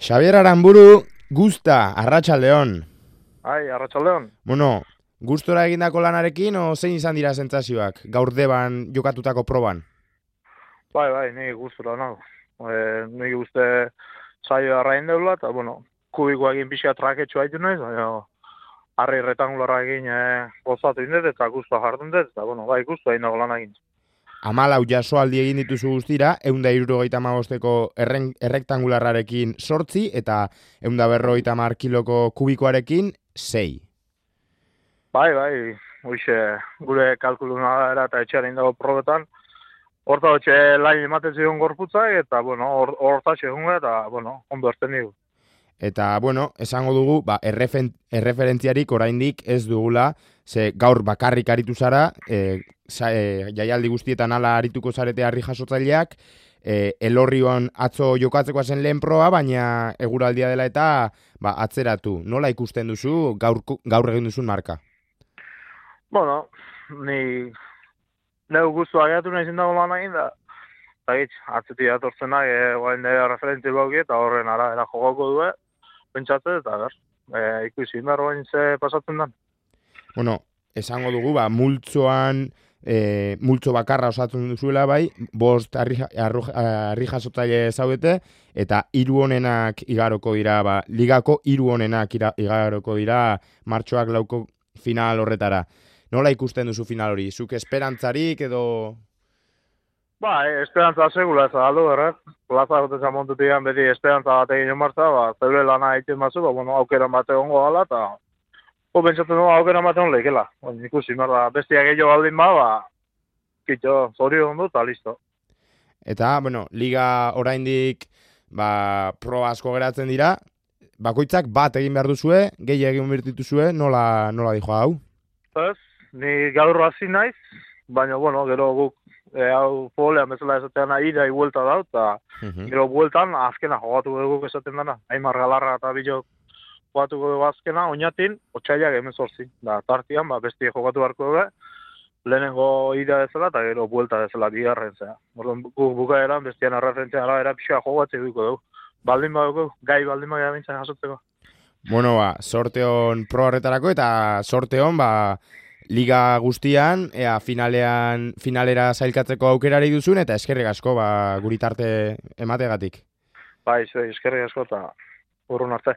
Xabier Aranburu, Gusta, Arratsaldeon. Arratsaldeon. Bueno, gustora egindako lanarekin, o zein izan dira sentsazioak gaur deban jokatutako proban? Bai, ni gustora nago. Nik uste saio arrain deula, eta, kubikoa egin pixka traketxo haitu nahiz, harri retangularra egin gozatu indet, eta guztua jardun dut, eta, bai, guztua egin dago lan egin. 14 jasoaldi egin dituzu guztira, 175ko errektangularrarekin 8 eta 150 kiloko kubikoarekin 6. Bai, hoxe, gure kalkuluna era eta etxearen dago probetan, horta hotxe lain ematen zion gorputzak, eta, horta segun eta, ondo erten digu. Eta, esango dugu, erreferentziarik oraindik ez dugula, ze gaur bakarrik aritu zara, jaialdi guztietan ala arituko zarete harri jasotzaileak, Elorrion atzo jokatzeko zen lehen proa, baina eguraldia dela eta atzeratu. Nola ikusten duzu gaur egin duzun marka? Ni neu guztua gehiatu nahi zindago lan egin da, atzetik atortzenak, guain dira referentzi bauki eta horren arabera jogoko du, pentsatzen eta ikusi indar bain ze pasatzen den. Esango dugu, multzo bakarra osatzen duzuela bai, 5 harri jasotzaile zaudete, eta 3 honenak igaroko dira, ligako 3 honenak igaroko dira martxoak 4 final horretara. Nola ikusten duzu final hori? Zuk esperantzarik edo... Esperantza segula ez aldo, erraz. Plaza goteza montutian beti esperantza bat egin martza, zeure lana egiten mazu, aukeran bat egongo gala, eta pentsatzen dugu aukeran bat egon lehikela. Ikusi, bestiak gehiago baldin kitxo, zorio ondo, eta listo. Eta, liga oraindik pro asko geratzen dira, bakoitzak bat egin behar duzue, gehi egin birtituzue, nola dijo hau? Ez, ni gaur hasi naiz, baina, gero guk hau folean bezala esatean ida buelta da, eta gero bueltan azkena jogatu dugu esaten dana. Aimar Galarra eta Bilok jogatu dugu azkena, oinatin, otxailak 18. Tartian, bestie jogatu beharko dugu, lehenengo ida bezala eta gero buelta bezala bigarren zea. Guk bukaeran bestien arreferentzia arabera pixka jogatzen dugu dugu. Baldin badugu, gai baldin badugu bintzen jasotzeko. Sorteon pro horretarako eta sorteon, liga guztian, finalera zailkatzeko aukerari duzun, eta eskerrik asko guritarte emategatik. Eskerrik asko eta urrun arte.